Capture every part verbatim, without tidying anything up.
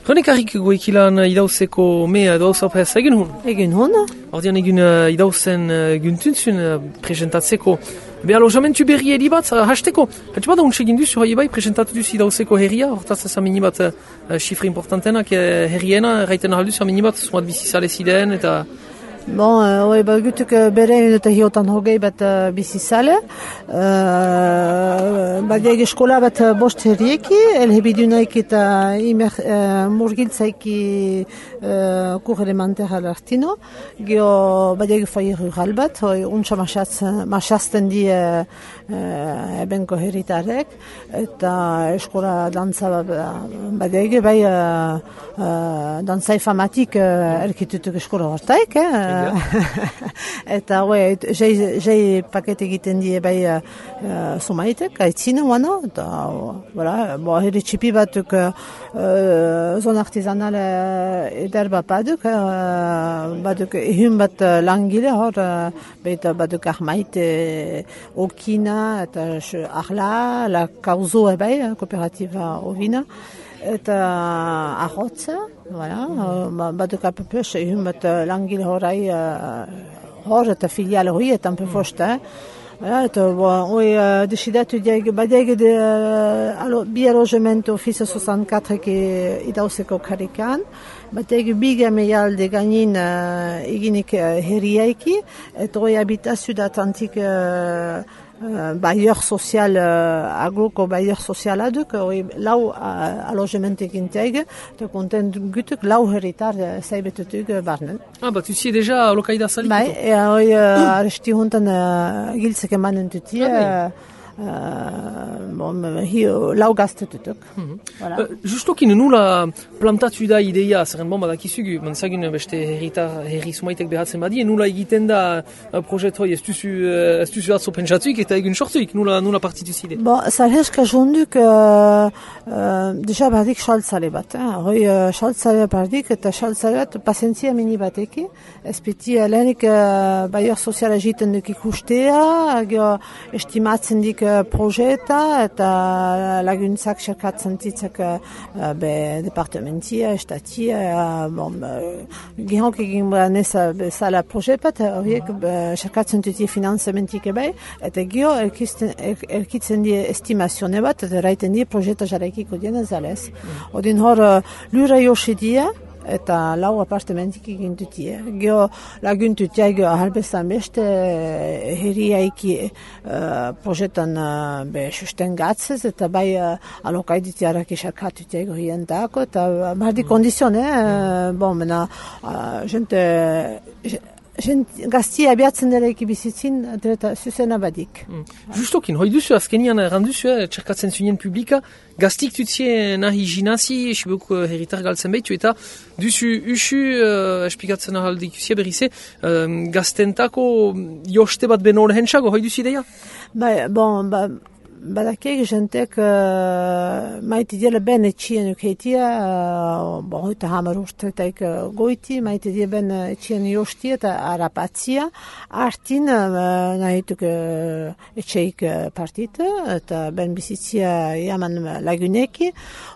Honek harrik goikilan idauzeko mea edo zaupez egin hun? Egin hun. Ordean egin uh, idauzen uh, guntuntzun uh, presentatzeko. Be alojamentu berri eri bat, uh, hasteko. Hatxe bat untxe egin duzu, hoi bai, presentatu duzu idauzeko herria, hortaz ez amini bat uh, xifre importantenak uh, herriena, erraiten ahal duzu amini bat, zumat bizizale ziden, eta... Bon, hoi uh, bat gutuk uh, bere eta hiotan hogei bat uh, bizizale. Uh, bat egi eskola bat uh, bost herrieki, elhebidunaik eta imer, uh, murgiltzaiki uh, kur elementer alartino. Gio bat egi fai rural bat, hoi untsa masazten di uh, uh, ebenko herritarek, eta eskola dantza bat egi, bai uh, uh, dantzai famatik uh, erkitutuk eskola hortaik, eh? Eta hoi, jai paket egiten die bai uh, somaitek, aitzine wana, eta voilà, bo, herri txipi batuk uh, zon artizanal eder bat baduk, uh, baduk ehun bat langile hor, uh, baita baduk ahmaite okina, eta ahla, la kauzo ebai, kooperatiba ovina, eta ahotza, voilà, baduk apepes, ehun bat langile horai hor, eta filiale hori, eta ampe fosta, eta hoi desidatu diag, badiag de bi alojamento office soixante-quatre ki idauzeko karikan, badiag biga meialde gainin eginik herriaiki, eta hoi habitazio datantik Uh, bailleur social, uh, agroko bailleur social aduk, hoi lau uh, alojamentek integ, eta konten gutuk lau herritar uh, zaibetutuk uh, barnen. Ah, bat usi deja lokaida salik? Bai, ea hoi uh, aresti hontan uh, giltzeke manen tuti, ah, uh, Uh, bon, hi, lau gaztetutuk. Mm-hmm. Voilà. Uh, justokin nula plantatu da ideia, zerren bon badakizugu, manzagun beste herritar, herri sumaitek behatzen badie, nula egiten da uh, projet hoi, ez duzu, uh, ez duzu atzo pentsatuik eta egun sortuik, nula, nula partitu zide. Bon, zarheska jonduk, uh, uh, deja bardik xaltzale bat, eh? Hoi uh, xaltzale bardik eta xaltzale bat pasentzia mini bateki, ez peti uh, lehenik uh, baior soziala egiten duk ikustea, uh, estimatzen dik projeta eta laguntzak xerkatzen ditzak uh, be departamentia, estatia, uh, bon, uh, gehonk egin neza bezala projet bat, horiek xerkatzen dutie finanzamentik ebai, eta geho erkitzen die estimazione bat, eta raiten die projeta jarraikiko diena zalez. Odin hor uh, lura josi die, eta lau apartamentik egin dutie. Geho laguntutiak halbezan beste herriaiki uh, projetan uh, be susten gatzez, eta bai uh, alokaiditiarak isarkatutiak horien dako, eta bardi kondizione, uh, bon, mena, uh, jente, Gent gaztia abiatzen dela ekibizitzin, eta zuzena badik. Mm. Justokin, hoi duzu, azkenian erranduzu, eh, txerkatzen zunien publika, gaztik tutzien nahi jinazi, esibuk uh, herritar galtzen behitu, eta duzu usu, uh, espikatzen ahaldik usia berrize, uh, gaztentako joste bat beno lehentxago, hoi duzu ideia? Ba, bon, ba, badakek jentek uh, maite diela ben etxien ukeitia, uh, bon, hoita hamar urtetaik uh, goiti, maite diela ben etxien jostia eta arapatzia, artin uh, nahituk uh, etxeik uh, partita, eta ben bizitzia jaman laguneki,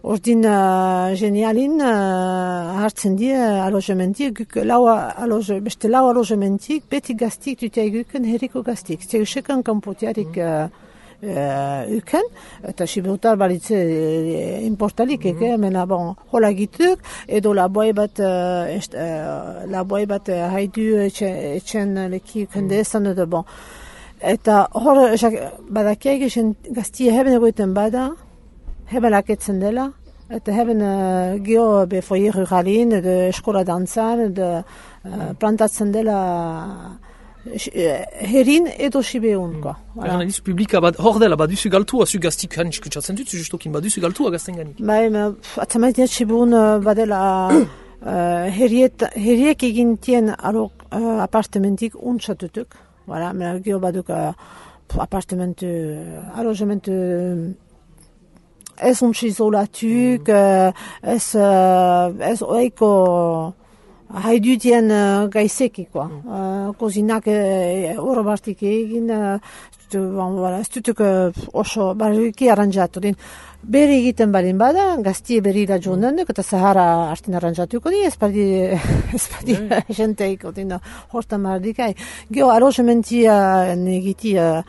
ordin uh, genialin uh, hartzen dia alojamentik, lau aloje, beste lau alojamentik, beti gaztik tutia eguken herriko gaztik, zegusekan kampotiarik uh, Uh, uken, eta sibutar balitze uh, importalik, mm -hmm. mena bon, hola gituk, edo laboi bat, uh, est, uh, laboi bat uh, haidu etxen leki ukendezan, edo bon. Eta hor, badakiak esen gaztia heben egoiten bada, heben laketzen dela, eta heben uh, geho be foyer ruralin, edo eskola dantzan, edo uh, plantatzen dela herin edo sibeunko. Mm. Voilà. Erran publika bad, hor dela baduzu galtua, zu gaztik hain iskutsatzen dut, zu justokin baduzu galtua gazten gani. Bai, atzamaitiat sibeun badela uh, heriek egintien alo uh, apartamentik untsatutuk. Voilà, mena geho baduk uh, apartamentu, alojamentu ez untsi izolatuk, mm. ez, uh, ez oiko haidutien uh, gaizeki, quoi. Mm. Uh, kozinak oro uh, bartik egin, uh, bon, voilà, ez dutuk uh, oso barriki aranjatu din. Bere egiten balin bada, gaztie berri da joan eta Sahara hartin aranjatuko di, espadi, espadi yeah. jenteiko din, hortan mardikai. Geo alogementia negiti, uh,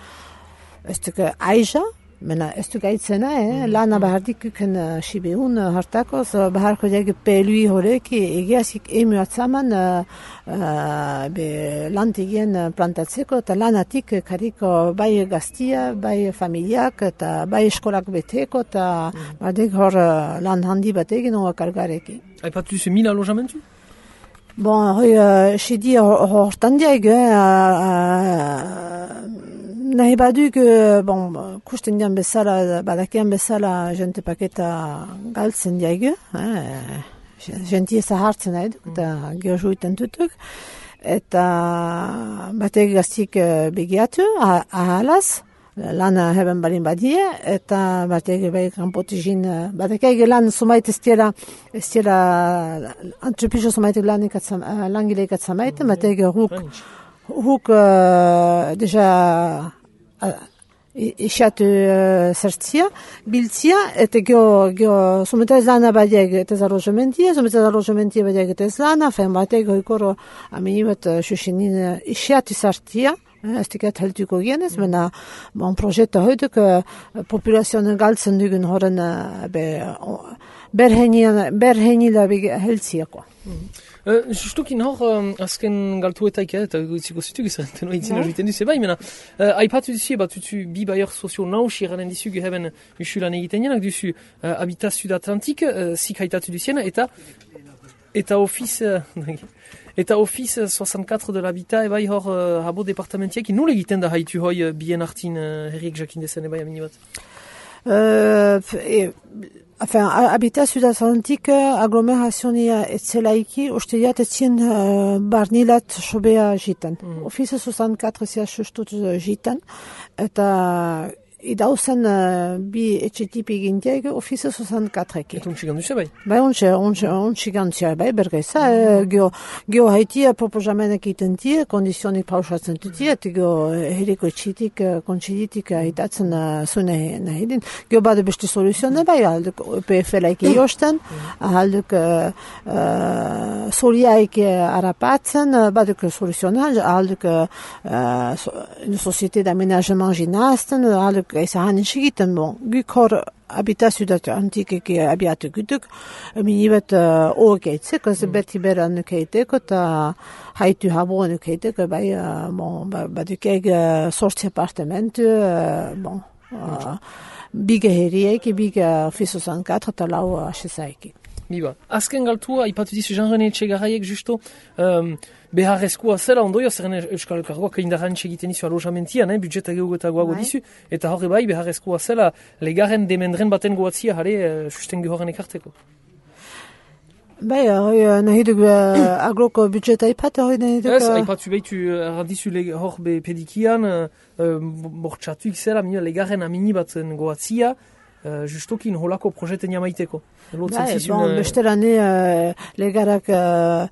ez duk aiza, mena ez duk aitzena, eh? Mm. Lana bahardik uken uh, sibeun uh, hartakoz, uh, baharko diag pelui horreki, egiazik emu atzaman uh, uh, be lantegien uh, plantatzeko, eta lanatik uh, kariko bai gaztia, bai familiak, eta bai eskolak beteko, eta mm. bardek hor uh, lan handi bat egin hor kargareki. Aipatu duzu mil alojamentu? Bon, hoi, uh, sedi hortan diag, uh, uh, nahi baduk, bon, kusten dian bezala, badakian bezala, jente paketa galtzen diag, eh, jentie zahartzen nahi duk, eta mm. geojuiten tutuk, eta batek gaztik begiatu, ahalaz, lana heben balin badie, eta batek bai kanpotizin, batek lan sumait ez dira, ez dira, antrepiso sumaitek langileik atzamaiten, batek huk, huk uh, deja Ixatu uh, zertzia, biltzia, eta geho, geho, sumetaz lana badiak eta zarrozementia, sumetaz zarrozementia badiak eta ez lana, fen batek goikoro aminibat uh, xuxinin uh, ixatu zartia, ez dikat heltuko gienez, mm. mena bon projeta hoiduk uh, populazioan galtzen dugun horren uh, be, uh, berhenila heltziako. Mm. Uh, Justukin hor, um, azken galtuetaik, eh, eta goitziko zituk izan, teno itzina juiten duzu, bai, mena, uh, aipatu duzu, bat duzu bi baior sozio nausi eranen dizu, geheben usulan egiten janak duzu, uh, Habitat Sud-Atlantik, uh, zik haitatu duzien, eta, eta ofiz, uh, eta ofiz soixante-quatre de l'Habitat, ebai hor, uh, habo departamentiak, nola egiten da haitu hoi uh, bien hartin uh, herriek jakin dezen, ebai, amini bat? Uh, e, Enfin, Habitat Sud-Atlantik aglomerazionia etzelaiki, uste diat etzien uh, barnilat sobea jitan. Mm. Ofiza soixante-quatre zia sustut jitan, eta idauzen uh, bi etxetipi gintiak ofiza soixante-quatre eki. Eta untxigan duzia bai? Bai, untxigan duzia bai, bergeza. Mm. Geo, geo haitia proposamenek itentie, kondizionik pausatzen tutia, eta geo heriko etxitik, kontsiditik haitatzen uh, zune nahi din. Geo bade beste soluzione bai, alduk E P F laiki josten, alduk uh, uh, soliaik arapatzen, baduk soluzione, alduk uh, une société d'aménagement ginazten, alduk Gaisa egiten, bon, guk hor Habitat Sud-Atlantik eki abiatu gutuk, minibet uh, ogeitzik, ez mm. beti bera nukeiteko, eta haitu habo nukeiteko, bai, uh, bon, badukeg uh, sortzi apartamentu, uh, bon, uh, biga herrieki, biga Office soixante-quatre, eta lau asesaiki. Biba, azken galtua, ipatu dizu Jean-René Etxegarraiek justo, um, beharrezkoa zela ondoio, zerren Euskal Elkargoak indarrantxe egiten dizu alojamentian, eh, budjeta geugetagoago dizu, eta horre bai, beharrezkoa zela legaren demendren baten goatzia, jare, uh, susten gehorren ekarteko. Bai, hori nahi duk uh, agroko budjeta ipat, hori nahi duk... Ez, haipatu behitu errandizu hor be pedikian, uh, bortxatuik zela, legaren amini baten goatzia, Uh, justokin holako projeten jamaiteko. Bai, bon, besterane uh, legarak uh,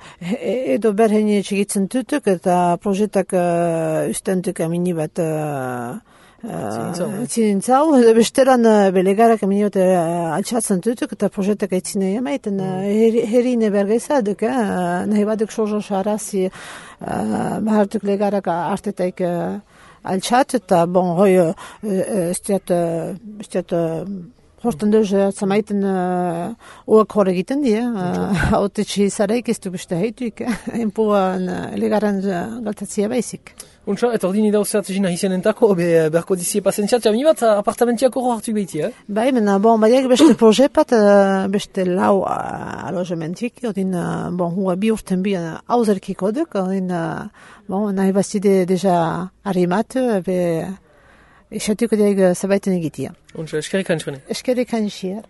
edo berheni txigitzen tutuk eta projetak uh, ustentuk amini bat uh, uh, zintzau. Besteran uh, belegarak amini bat uh, altxatzen tutuk eta projetak aitzine jamaiten. Mm. Uh, herine bergeza duk, uh, nahi baduk sozo xarazi uh, bahartuk legarak artetaik uh, altxat, eta bon, hoi, ez diat, ez diat, hortan duz, zamaiten oak hor egiten die, haute txizareik ez du beste heituik, enpuan legaran galtatzia baizik. Untsa, eta ordin idauzeat zina hizenentako, berko dizie pasentziat, jami bat apartamentiako hor hartu behiti, eh? Bai, mena, bon, badiak beste proje pat, beste lau alojementik, ordin, bon, hua bi urten bi hauzerkiko duk, ordin, bon, nahi bastide deja harimatu, be, esatuko diag zabaiten egitia. Untsa, eskerrik antxene. Eskerrik antxene.